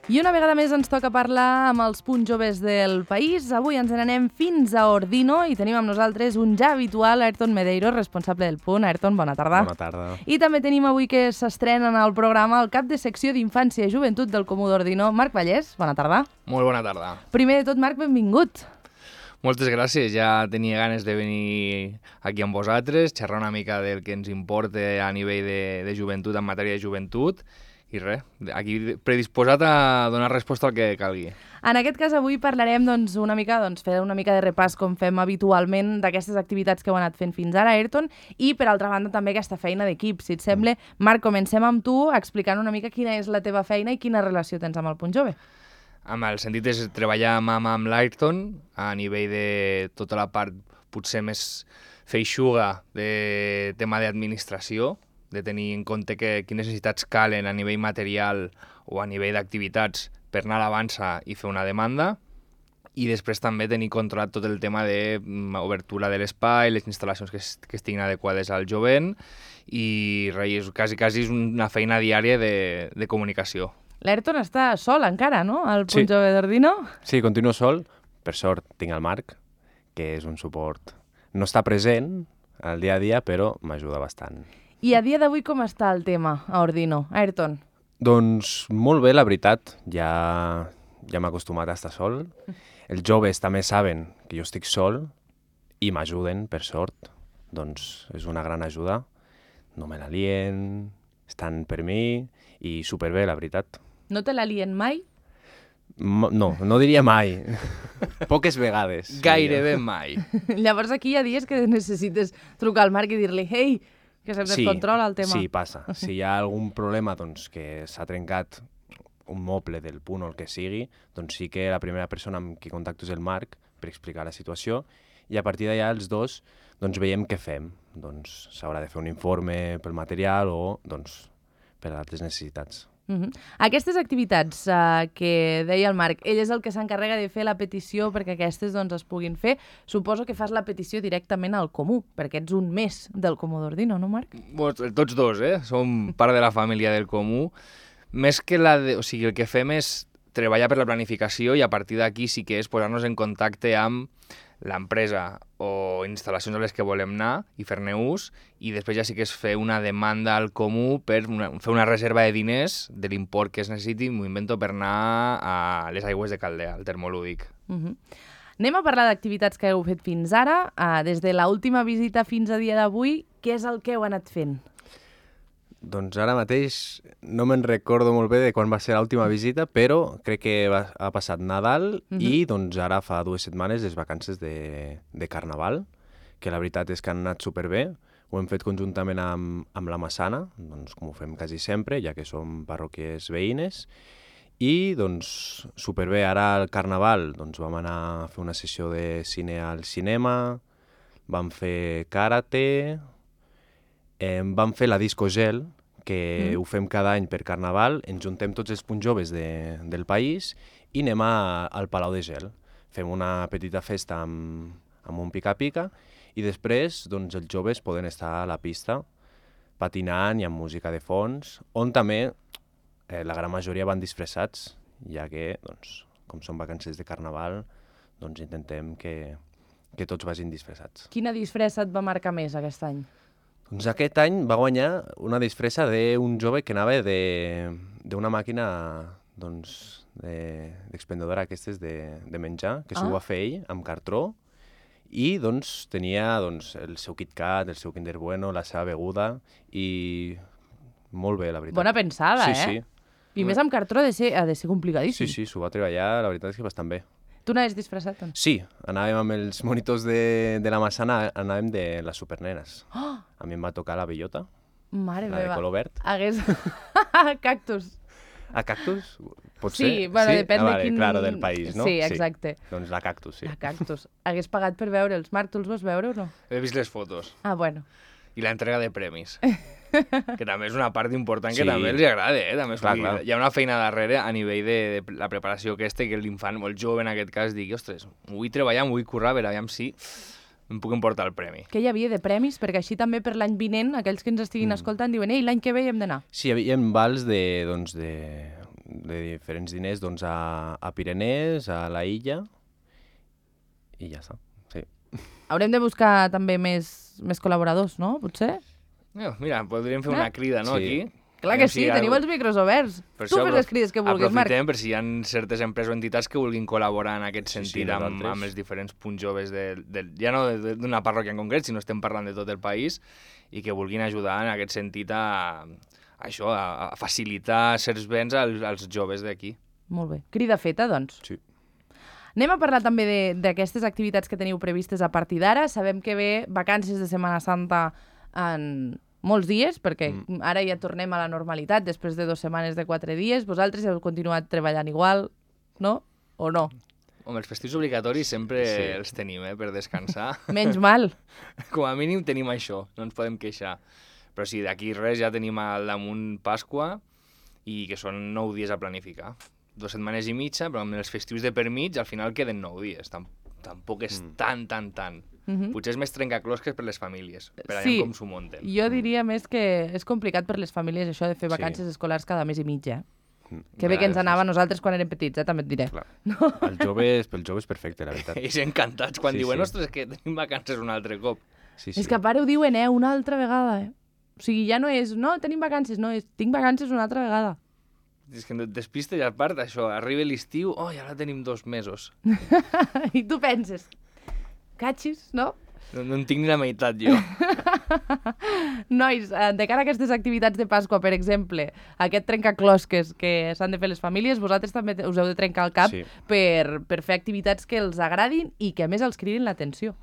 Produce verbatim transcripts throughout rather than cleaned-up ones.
I una vegada més ens toca parlar amb els punts joves del país. Avui ens n'anem fins a Ordino i tenim amb nosaltres un ja habitual, Ayrton Medeiros, responsable del punt. Ayrton, bona tarda. Bona tarda. I també tenim avui que s'estrena en el programa el cap de secció d'Infància i Joventut del Comú d'Ordino, Marc Vallès. Bona tarda. Molt bona tarda. Primer de tot, Marc, benvingut. Moltes gràcies, ja tenia ganes de venir aquí amb vosaltres, xerrar una mica del que ens importa a nivell de, de joventut, en matèria de joventut, i res, aquí predisposat a donar resposta al que calgui. En aquest cas, avui parlarem doncs, una mica, doncs, fer una mica de repàs, com fem habitualment, d'aquestes activitats que heu anat fent fins ara, Ayrton, i, per altra banda, també aquesta feina d'equip. Si et sembla, Marc, comencem amb tu explicant una mica quina és la teva feina i quina relació tens amb el Punt Jove. Amb el sentit és treballar mà a mà amb l'Ayrton a nivell de tota la part potser més feixuga de tema d'administració, de tenir en compte que, quines necessitats calen a nivell material o a nivell d'activitats per anar a l'avança i fer una demanda, i després també tenir controlat tot el tema d'obertura de l'espai, les instal·lacions que, es, que estiguin adequades al jovent, i res, quasi, quasi és una feina diària de, de comunicació. L'Ayrton està sol encara, no?, al Punt Sí. Jove d'Ordino. Sí, continuo sol. Per sort tinc el Marc, que és un suport. No està present al dia a dia, però m'ajuda bastant. I a dia d'avui com està el tema a Ordino, Ayrton? Doncs molt bé, la veritat. Ja, ja m'he acostumat a estar sol. Els joves també saben que jo estic sol i m'ajuden, per sort. Doncs és una gran ajuda. No me la lien, estan per mi i superbé, la veritat. No te la lien mai? M- No, no diria mai. Poques vegades. Gairebé mai. Llavors aquí hi ha dies que necessites trucar al Marc i dir-li «Ei, que se'm descontrola el tema». Sí, passa. Si hi ha algun problema doncs, que s'ha trencat un moble del punt o el que sigui, doncs sí que la primera persona amb qui contacto és el Marc per explicar la situació, i a partir d'allà els dos doncs, veiem què fem. Doncs s'haurà de fer un informe pel material o doncs, per altres necessitats. Uh-huh. Aquestes activitats uh, que deia el Marc, ell és el que s'encarrega de fer la petició perquè aquestes doncs, es puguin fer. Suposo que fas la petició directament al Comú, perquè ets un més del Comú d'Ordino, no, Marc? Bueno, tots dos, eh? Som part de la família del Comú. Més que la de... O sigui, el que fem és treballar per la planificació i a partir d'aquí sí que és posar-nos en contacte amb l'empresa o instal·lacions a les que volem anar i fer-ne ús, i després ja sí que és fer una demanda al Comú per una, fer una reserva de diners de l'import que es necessiti, m'ho invento, per anar a les aigües de Caldea, al termolúdic. Uh-huh. Anem a parlar d'activitats que heu fet fins ara. Uh, des de l'última visita fins a dia d'avui, què és el que heu anat fent? Doncs ara mateix no me'n recordo molt bé de quan va ser l'última visita, però crec que va, ha passat Nadal uh-huh. i doncs ara fa dues setmanes les vacances de, de Carnaval, que la veritat és que han anat superbé. Ho hem fet conjuntament amb, amb la Massana, doncs com ho fem quasi sempre, ja que som parròquies veïnes, i doncs superbé. Ara al Carnaval doncs, vam anar a fer una sessió de cine al cinema, vam fer karate, eh, vam fer la disco gel, que mm. ho fem cada any per Carnaval, ens juntem tots els punts joves de, del país i anem a, al Palau de Gel. Fem una petita festa amb, amb un pica-pica i després doncs, els joves poden estar a la pista patinant i amb música de fons, on també eh, la gran majoria van disfressats, ja que, doncs, com són vacances de Carnaval, doncs intentem que, que tots vagin disfressats. Quina disfressa et va marcar més aquest any? Doncs aquest any va guanyar una disfressa d'un jove que anava d'una màquina doncs, d'expendedora de, aquestes de, de menjar, que s'ho ah. va fer ell amb cartró, i doncs, tenia doncs, el seu KitKat, el seu Kinder Bueno, la seva beguda, i molt bé, la veritat. Bona pensada, sí, eh? Sí. I més amb cartró ha de ser, ha de ser complicadíssim. Sí, sí, s'ho va treballar, la veritat és que bastant bé. Tu n'havies disfressat? Doncs? Sí, anàvem amb els monitors de, de la Massana, anàvem de les supernenes. Oh! A mi em va tocar la bellota, Mare la meva. de color verd. Hagués... Cactus. A cactus? Pot sí, ser? bueno, sí? depèn ah, de vale, quin... Claro, del país, no? Sí, exacte. Sí. Doncs la cactus, sí. La cactus. Hagués pagat per veure'ls. Marc, tu els vas veure o no? He vist les fotos. Ah, bueno. I l'entrega de premis. Que també és una part important que sí. també els agrada, eh? També és, clar, dir, clar. Hi ha una feina darrere a nivell de, de la preparació aquesta, que l'infant o el jove en aquest cas digui, ostres, vull treballar, vull currar, a veure, aviam si em puc emportar el premi. Què hi havia de premis? Perquè així també per l'any vinent, aquells que ens estiguin mm. escoltant diuen, ei, l'any que ve hi hem d'anar. Sí, hi havia vals de, doncs, de, de diferents diners doncs, a, a Pirenès, a la illa, i ja està. Sí. Haurem de buscar també més, més col·laboradors, no? Potser? No, mira, podríem fer una crida, no, Sí. aquí? Clar que sí, teniu els micros oberts. Per Tu això fes les crides que vulguis, Marc. Aprofitem per si hi ha certes empreses o entitats que vulguin col·laborar en aquest Sí, sí, sentit amb, nosaltres. amb els diferents punts joves, de, de, ja no de- d'una parròquia en concret, sinó estem parlant de tot el país, i que vulguin ajudar en aquest sentit a, a això, a, a facilitar certs béns als, als joves d'aquí. Molt bé. Crida feta, doncs. Sí. Anem a parlar també de- d'aquestes activitats que teniu previstes a partir d'ara. Sabem que ve vacances de Setmana Santa en molts dies, perquè mm. ara ja tornem a la normalitat després de dues setmanes de quatre dies. Vosaltres heu continuat treballant igual, no? O no? Home, els festius obligatoris sempre Sí. sí. els tenim, eh, per descansar. Menys mal. Com a mínim tenim això, no ens podem queixar. Però sí, d'aquí res ja tenim al damunt Pasqua, i que són nou dies a planificar. Dues setmanes i mitja, però amb els festius de per mig al final queden nou dies. Tam tampoc és mm. tan, tan, tan. Mhm. Potser és més trencaclosques per les famílies, per Sí. allà com s'ho munten. Jo diria més que és complicat per les famílies això de fer Sí. vacances escolars cada mes i mig, eh? Mm. Que bé Clar, que ens sí, anava a nosaltres quan érem petits, eh? També et diré. Clar. Els joves, pel jove és perfecte, la veritat. Ells encantats quan Sí, diuen, sí. ostres, que tenim vacances un altre cop. Sí, sí. És que a part ho diuen, eh? Una altra vegada, eh? O sigui, ja no és, no, tenim vacances, no, és, tinc vacances una altra vegada. És que no et despistes, i a part això, arriba l'estiu, oh, ja la tenim dos mesos. I tu penses, catxis, no? No, no en tinc ni la meitat, jo. Nois, eh, de cara a aquestes activitats de Pasqua, per exemple, aquest trencaclosques que s'han de fer les famílies, vosaltres també te- us heu de trencar el cap Sí. per, per fer activitats que els agradin i que a més els cridin l'atenció.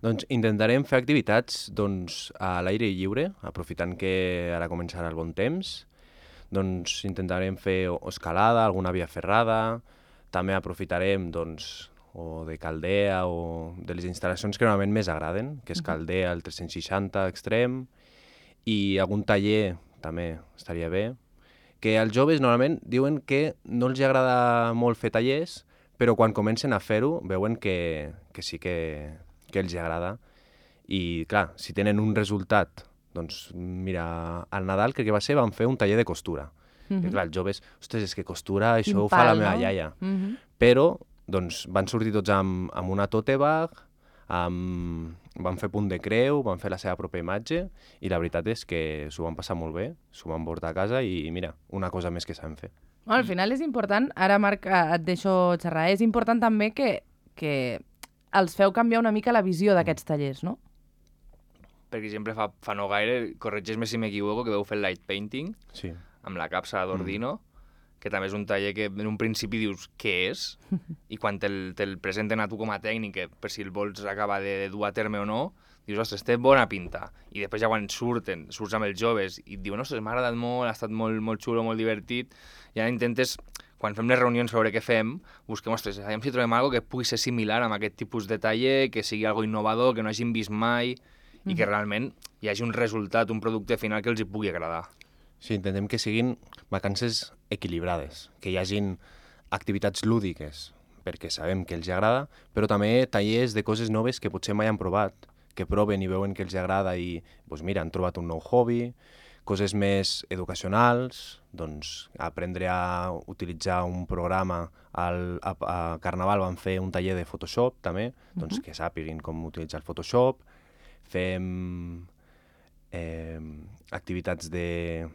Doncs intentarem fer activitats doncs, a l'aire lliure, aprofitant que ara començarà el bon temps. Doncs intentarem fer o escalada, alguna via ferrada, també aprofitarem doncs, o de Caldea o de les instal·lacions que normalment més agraden, que és Caldea, el tres-cents seixanta extrem, i algun taller també estaria bé. Que als joves normalment diuen que no els agrada molt fer tallers, però quan comencen a fer-ho veuen que, que sí que, que els agrada. I clar, si tenen un resultat, doncs mira, al Nadal crec que va ser, van fer un taller de costura. Mm -hmm. I clar, els joves, ostres, és que costura, això Quin ho fa la pal, meva no? iaia. Mm -hmm. Però doncs, van sortir tots amb, amb una tote bag, amb, van fer punt de creu, van fer la seva pròpia imatge, i la veritat és que s'ho van passar molt bé, s'ho van portar a casa i mira, una cosa més que saben fer. Bueno, al final és important, ara Marc eh, et deixo xerrar, és important també que, que els feu canviar una mica la visió d'aquests tallers, no? Per exemple, fa, fa no gaire, corregeix-me si m'equivoco, que veu fer light painting Sí. amb la capsa d'Ordino, mm. que també és un taller que en un principi dius què és, i quan te'l te presenten a tu com a tècnic, que per si el vols acabar de, de dur a terme o no, dius, ostres, té bona pinta. I després ja quan surten, surts amb els joves i et diuen, ostres, m'ha agradat molt, ha estat molt, molt xulo, molt divertit, i ara intentes, quan fem les reunions sobre què fem, busquem, ostres, aviam si trobem alguna que pugui ser similar amb aquest tipus de taller, que sigui algo innovador, que no hagin vist mai, i que realment hi hagi un resultat, un producte final que els hi pugui agradar. Sí, intentem que siguin vacances equilibrades, que hi hagin activitats lúdiques, perquè sabem que els agrada, però també tallers de coses noves que potser mai han provat, que proven i veuen que els agrada i, doncs mira, han trobat un nou hobby, coses més educacionals, doncs aprendre a utilitzar un programa, al, a, a Carnaval van fer un taller de Photoshop també, doncs uh-huh. que sàpiguin com utilitzar el Photoshop, fem eh, activitats de,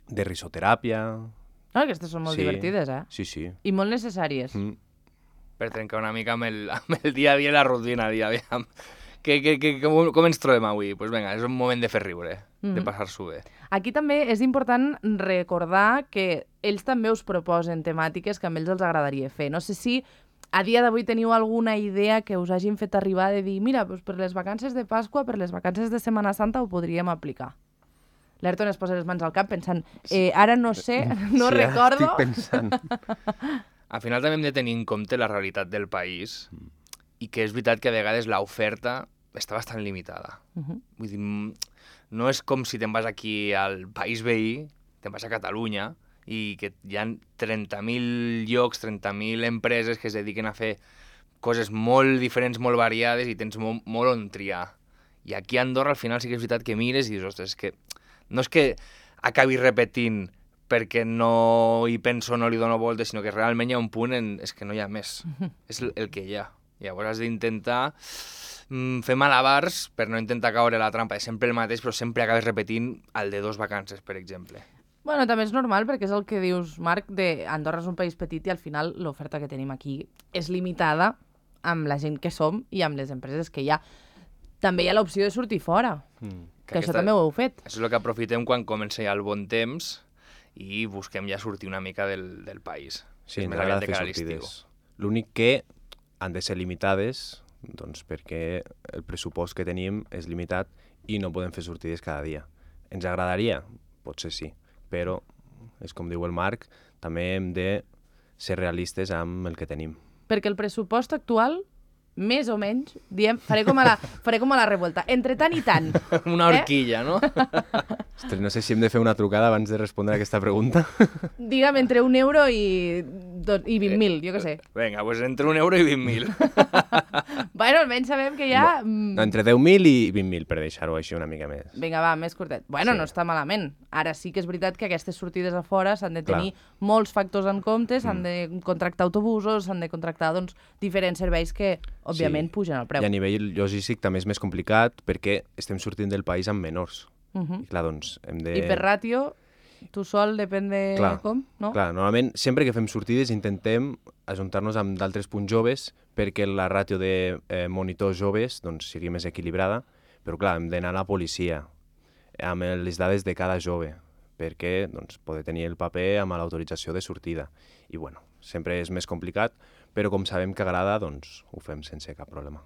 de risoteràpia. Ah, aquestes són molt Sí. divertides, eh? Sí, sí. I molt necessàries. Mm. Per trencar una mica amb el, amb el dia a dia i la rutina, dia a dia. Que, que, que, com, com ens trobem avui? Doncs pues vinga, és un moment de fer riure, mm-hmm. de passar-s'ho bé. Aquí també és important recordar que ells també us proposen temàtiques que a ells els agradaria fer. No sé si a dia d'avui teniu alguna idea que us hagin fet arribar de dir mira, doncs per les vacances de Pasqua, per les vacances de Setmana Santa ho podríem aplicar. L'Ayrton es posa les mans al cap pensant eh, ara no sé, no sí, recordo... Estic pensant. Al final també hem de tenir en compte la realitat del país i que és veritat que a vegades l'oferta està bastant limitada. Uh-huh. Vull dir, no és com si te'n vas aquí al país veí, te'n vas a Catalunya i que hi ha trenta mil llocs, trenta mil empreses que es dediquen a fer coses molt diferents, molt variades i tens molt, molt on triar. I aquí a Andorra al final sí que és veritat que mires i dius, ostres, és que no és que acabi repetint perquè no hi penso, no li dono voltes, sinó que realment hi ha un punt en... és que no hi ha més. És el, el que hi ha. Llavors has d'intentar mm, fer malabars per no intentar caure a la trampa. És sempre el mateix, però sempre acabes repetint el de dos vacances, per exemple. Bueno, també és normal, perquè és el que dius, Marc, de Andorra és un país petit i al final l'oferta que tenim aquí és limitada amb la gent que som i amb les empreses que hi ha. També hi ha l'opció de sortir fora, mm. que, que aquesta, això també ho heu fet. Això és el que aprofitem quan comença ja el bon temps i busquem ja sortir una mica del, del país. Sí, ens agrada fer sortides. L'únic que han de ser limitades, doncs perquè el pressupost que tenim és limitat i no podem fer sortides cada dia. Ens agradaria? Potser sí. Però, és com diu el Marc, també hem de ser realistes amb el que tenim. Perquè el pressupost actual, més o menys, diem, faré com a la, faré com a la revolta, entre tant i tant. Una horquilla, eh? No? Ostres, no sé si hem de fer una trucada abans de respondre a aquesta pregunta. Digue'm, entre un euro i, i vint mil, jo què sé. Vinga, doncs entre un euro i vint mil. Bueno, almenys sabem que hi ha... No, entre deu mil i vint mil, per deixar-ho així una mica més. Vinga, va, més curtet. Bueno, sí. No està malament. Ara sí que és veritat que aquestes sortides a fora s'han de tenir Clar. molts factors en compte, s'han mm. de contractar autobusos, s'han de contractar doncs, diferents serveis que, òbviament, sí. pugen el preu. I a nivell logístic també és més complicat perquè estem sortint del país amb menors. Uh -huh. I clar, doncs, hem de... I per ràtio, tu sol, depèn de clar, com, no? Clar, normalment, sempre que fem sortides intentem ajuntar-nos amb d'altres punts joves perquè la ràtio de eh, monitors joves doncs, sigui més equilibrada, però clar, hem d'anar a la policia amb les dades de cada jove perquè doncs, poder tenir el paper amb l'autorització de sortida. I bueno, sempre és més complicat, però com sabem que agrada, doncs ho fem sense cap problema.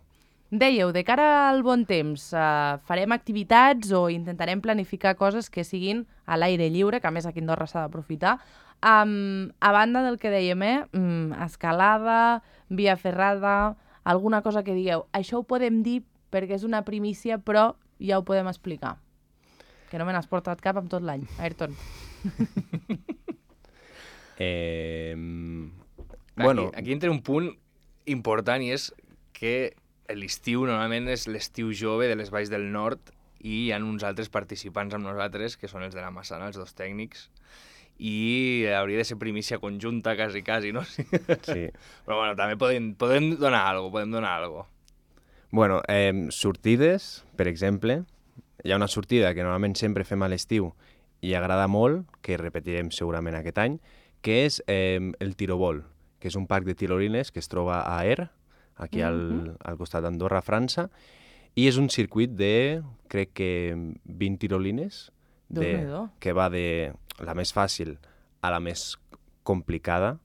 Dèieu, de cara al bon temps, eh, farem activitats o intentarem planificar coses que siguin a l'aire lliure, que a més aquí a Andorra s'ha d'aprofitar. Um, a banda del que dèiem, eh, um, escalada, via ferrada, alguna cosa que digueu, això ho podem dir perquè és una primícia, però ja ho podem explicar. Que no me n'has portat cap amb tot l'any, Ayrton. eh, aquí, bueno. aquí entra un punt important i és que l'estiu normalment és l'estiu jove de les Valls del Nord i hi ha uns altres participants amb nosaltres, que són els de la Massana, els dos tècnics, i hauria de ser primícia conjunta, quasi, quasi, no? Sí. Però bueno, també podem, podem donar alguna cosa, podem donar alguna cosa. Bueno, eh, sortides, per exemple, hi ha una sortida que normalment sempre fem a l'estiu i agrada molt, que repetirem segurament aquest any, que és eh, el tirobol, que és un parc de tirolines que es troba a Er, aquí al, mm-hmm. al costat d'Andorra, França, i és un circuit de, crec que, vint tirolines, de, que va de la més fàcil a la més complicada,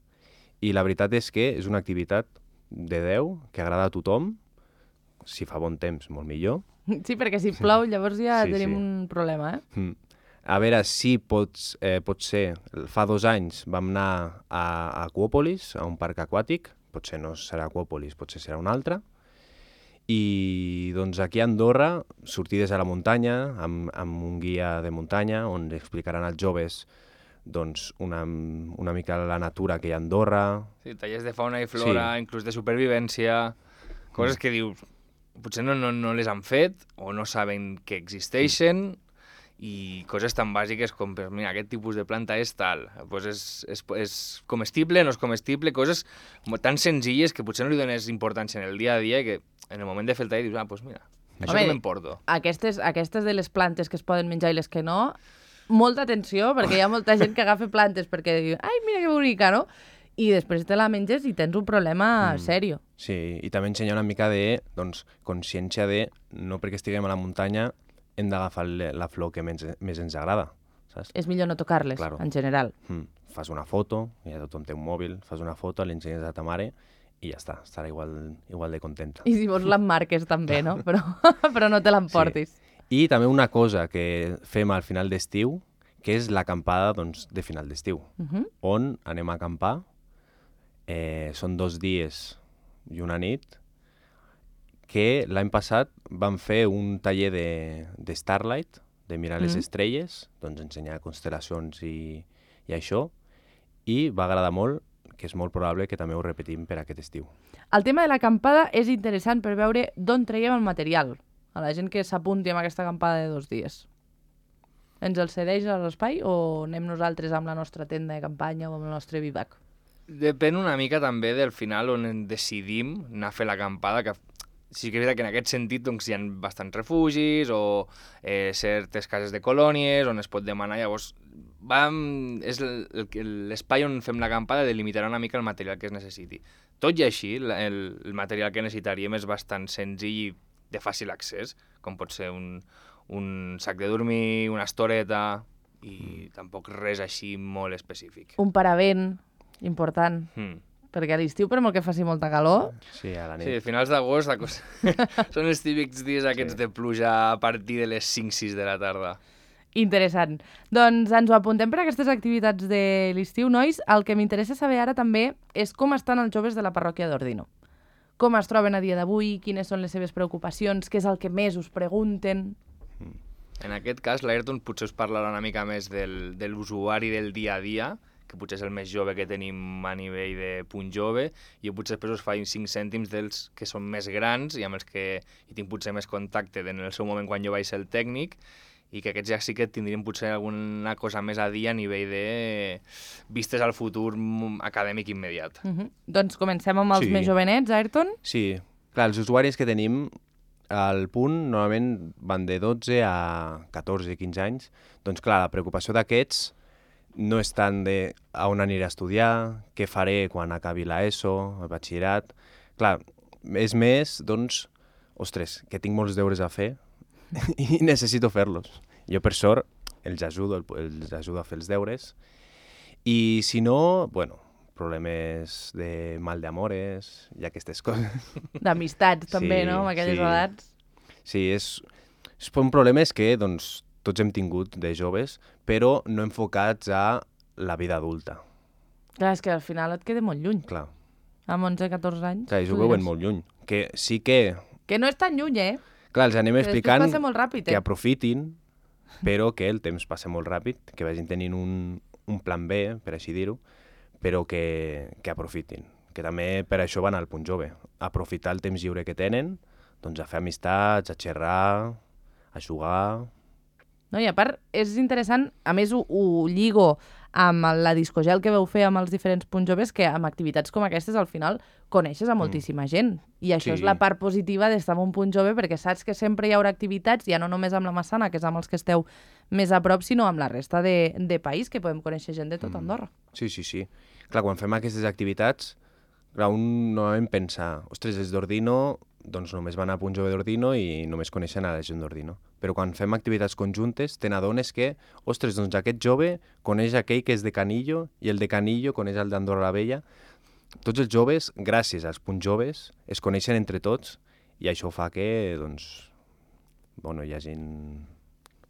i la veritat és que és una activitat de deu, que agrada a tothom, si fa bon temps, molt millor. Sí, perquè si plou llavors ja sí, tenim sí. un problema, eh? Mm. A veure si pots, eh, pot ser, fa dos anys vam anar a, a Aquòpolis, a un parc aquàtic, potser no serà Aquòpolis, potser serà un altre, i doncs aquí a Andorra, sortides a la muntanya, amb, amb un guia de muntanya, on explicaran als joves doncs, una, una mica la natura que hi ha a Andorra. Sí, tallers de fauna i flora, sí. inclús de supervivència, coses mm. que dius, potser no, no, no les han fet o no saben que existeixen, mm. i coses tan bàsiques com, pues, mira, aquest tipus de planta és tal, pues és, és, és comestible, no és comestible, coses tan senzilles que potser no li dones importància en el dia a dia i que en el moment de fer el tall dius, ah, doncs pues mira, això que m'emporto. Aquestes, aquestes de les plantes que es poden menjar i les que no, molta atenció, perquè hi ha molta gent que agafa plantes perquè diu, ai, mira que bonica, no? I després te la menges i tens un problema mm. serio. Sí, i també ensenya una mica de doncs, consciència de, no perquè estiguem a la muntanya, hem d'agafar la flor que més, més ens agrada, saps? És millor no tocar-les, claro. En general. Mm. Fas una foto, ja tothom té un mòbil, fas una foto, l'ensenyes a ta mare i ja està, estarà igual, igual de contenta. I si vols l'emmarques també, no? Però, però no te l'emportis. Sí. I també una cosa que fem al final d'estiu, que és l'acampada doncs, de final d'estiu, uh -huh. on anem a acampar, eh, són dos dies i una nit, que l'any passat vam fer un taller de, de Starlight, de mirar mm. les estrelles, doncs ensenyar constel·lacions i, i això, i va agradar molt, que és molt probable que també ho repetim per aquest estiu. El tema de l'acampada és interessant per veure d'on traiem el material, a la gent que s'apunti amb aquesta acampada de dos dies. ens el cedeix a l'espai o anem nosaltres amb la nostra tenda de campanya o amb el nostre bivac? Depèn una mica també del final on decidim anar a fer l'acampada, que sí que és veritat que en aquest sentit doncs, hi ha bastants refugis o eh, certes cases de colònies on es pot demanar. Llavors, vam, és l'espai on fem l'acampada delimitarà una mica el material que es necessiti. Tot i així, el, el material que necessitaríem és bastant senzill i de fàcil accés, com pot ser un, un sac de dormir, una estoreta i mm. tampoc res així molt específic. Un paravent, important. Mm. Perquè a l'estiu, per molt que faci molta calor... Sí, a la nit. Sí, a finals d'agost són els típics dies aquests sí. de pluja a partir de les cinc sis de la tarda. Interessant. Doncs ens ho apuntem per a aquestes activitats de l'estiu, nois. El que m'interessa saber ara també és com estan els joves de la parròquia d'Ordino. Com es troben a dia d'avui, quines són les seves preocupacions, què és el que més us pregunten... Mm. En aquest cas, l'Ayrton potser us parlarà una mica més del, de l'usuari del dia a dia, que potser és el més jove que tenim a nivell de punt jove, i jo potser després us faig cinc cèntims dels que són més grans i amb els que hi tinc potser més contacte en el seu moment quan jo vaig ser el tècnic, i que aquests ja sí que tindrien potser alguna cosa més a dir a nivell de vistes al futur acadèmic immediat. Uh -huh. Doncs comencem amb els sí. més jovenets, Ayrton? Sí, clar, els usuaris que tenim al punt normalment van de dotze a catorze quinze anys, doncs clar, la preocupació d'aquests no és tant de a on aniré a estudiar, què faré quan acabi l'ESO, el batxillerat... Clar, és més, doncs, ostres, que tinc molts deures a fer i necessito fer-los. Jo, per sort, els ajudo, els ajudo a fer els deures. I si no, bueno, problemes de mal d'amores i aquestes coses. D'amistats, també, sí, no?, amb aquelles sí. edats. Sí, és, és un problema que, doncs, tots hem tingut de joves, però no enfocats a la vida adulta. Clar, és que al final et queda molt lluny. Clar. Amb onze catorze anys. Clar, ells ho veuen molt lluny. Que sí que... Que no és tan lluny, eh? Clar, els anem explicant passa molt ràpid, eh? que aprofitin, però que el temps passa molt ràpid, que vagin tenint un, un plan B, per així dir-ho, però que, que aprofitin. Que també per això van al punt jove. Aprofitar el temps lliure que tenen, doncs a fer amistats, a xerrar, a jugar... No, i a part, és interessant, a més ho, ho lligo amb la discogel que veu fer amb els diferents punts joves, que amb activitats com aquestes al final coneixes a moltíssima mm. gent. I això sí. és la part positiva d'estar en un punt jove, perquè saps que sempre hi haurà activitats, ja no només amb la Massana, que és amb els que esteu més a prop, sinó amb la resta de, de país, que podem conèixer gent de tot Andorra. Mm. Sí, sí, sí. Clar, quan fem aquestes activitats, clar, un normalment pensa, ostres, els d'Ordino doncs només van a punt jove d'Ordino i només coneixen a la gent d'Ordino. Però quan fem activitats conjuntes, te n'adones que, ostres, doncs aquest jove coneix aquell que és de Canillo i el de Canillo coneix el d'Andorra la Vella. Tots els joves, gràcies als punts joves, es coneixen entre tots i això fa que, doncs, bueno, hi hagi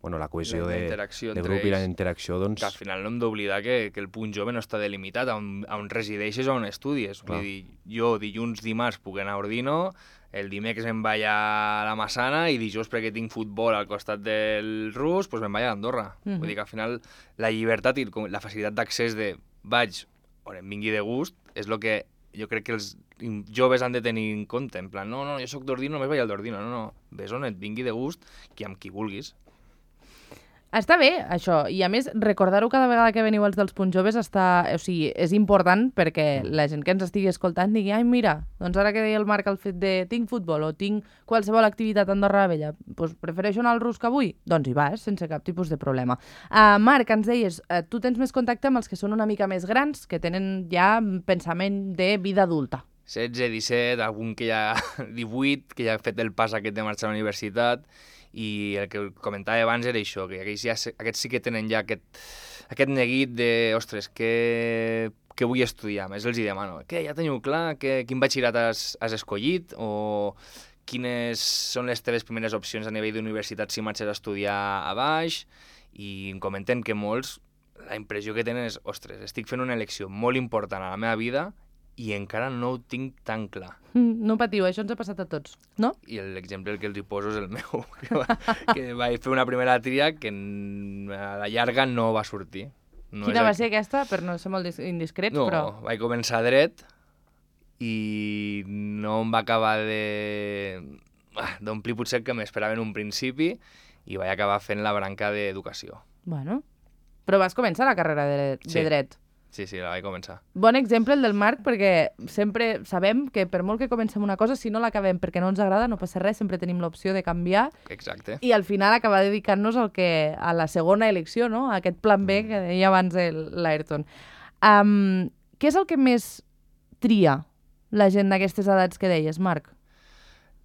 bueno, la cohesió la de, de grup ells, i la interacció, doncs... Que al final no hem d'oblidar que, que el punt jove no està delimitat a on, a on resideixes o on estudies. Vull dir, jo dilluns, dimarts puc anar a Ordino, el dimecres me'n vaig a la Massana i dijous perquè tinc futbol al costat del Rus, doncs me'n vaig a Andorra. Mm-hmm. Vull dir que al final la llibertat i la facilitat d'accés de vaig on em vingui de gust és el que jo crec que els joves han de tenir en compte. En plan, no, no, jo soc d'Ordino, només vaig al d'Ordino. No, no, ves on et vingui de gust i amb qui vulguis. Està bé, això, i a més, recordar-ho cada vegada que veniu els dels punts joves està... o sigui, és important perquè la gent que ens estigui escoltant digui, ai, mira, doncs ara que deia el Marc el fet de tinc futbol o tinc qualsevol activitat a Andorra la Vella, doncs prefereixo anar al Rus que avui? Doncs hi vas, sense cap tipus de problema. Uh, Marc, ens deies, uh, tu tens més contacte amb els que són una mica més grans, que tenen ja pensament de vida adulta. setze, disset, algun que ja... divuit, que ja ha fet el pas aquest de marxar a la universitat, i el que comentava abans era això, que aquests, ja, aquests sí que tenen ja aquest, aquest neguit de, ostres, què, què vull estudiar? Més els hi demano, què, ja teniu clar que, quin batxillerat has, has escollit? O quines són les teves primeres opcions a nivell d'universitat si marxes a estudiar a baix? I em comenten que molts, la impressió que tenen és, ostres, estic fent una elecció molt important a la meva vida i encara no ho tinc tan clar. Mm, no patiu, això ens ha passat a tots, no? I l'exemple que els hi poso és el meu, que, va, que vaig fer una primera tria que a la llarga no va sortir. No Quina va el... ser aquesta, per no ser molt indiscrets, no, però... No, vaig començar dret i no em va acabar de... d'omplir potser el que m'esperava en un principi i vaig acabar fent la branca d'educació. Bueno, però vas començar la carrera de, de Sí. dret. Sí, sí, la vaig començar. Bon exemple el del Marc, perquè sempre sabem que per molt que comencem una cosa, si no l'acabem perquè no ens agrada, no passa res, sempre tenim l'opció de canviar Exacte. i al final acabar dedicant-nos al que, a la segona elecció, no? A aquest plan B que deia abans l'Ayrton. Um, què és el que més tria la gent d'aquestes edats que deies, Marc?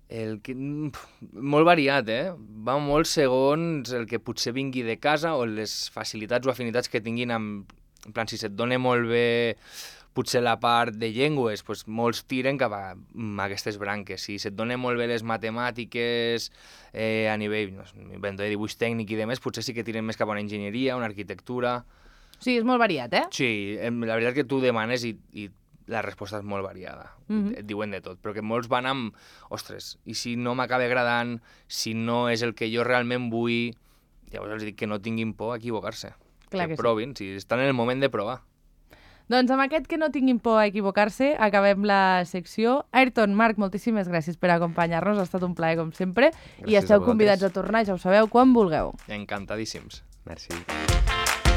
El que... Molt variat, eh? Va molt segons el que potser vingui de casa o les facilitats o afinitats que tinguin amb... En plan, si se't dona molt bé potser la part de llengües, doncs molts tiren cap a, a aquestes branques. Si se't dona molt bé les matemàtiques eh, a nivell no, de dibuix tècnic i demés, potser sí que tiren més cap a una enginyeria, una arquitectura... O sigui, és molt variat, eh? Sí, la veritat que tu demanes i, i la resposta és molt variada. Mhm. Et diuen de tot, però que molts van amb... Ostres, i si no m'acaba agradant, si no és el que jo realment vull, llavors els dic que no tinguin por a equivocar-se. Clar que que sí. provin, si estan en el moment de provar. Doncs amb aquest que no tinguin por a equivocar-se, acabem la secció. Ayrton, Marc, moltíssimes gràcies per acompanyar-nos, ha estat un plaer com sempre. Gràcies I esteu a vosaltres. convidats a tornar, ja ho sabeu, quan vulgueu. Encantadíssims. Merci.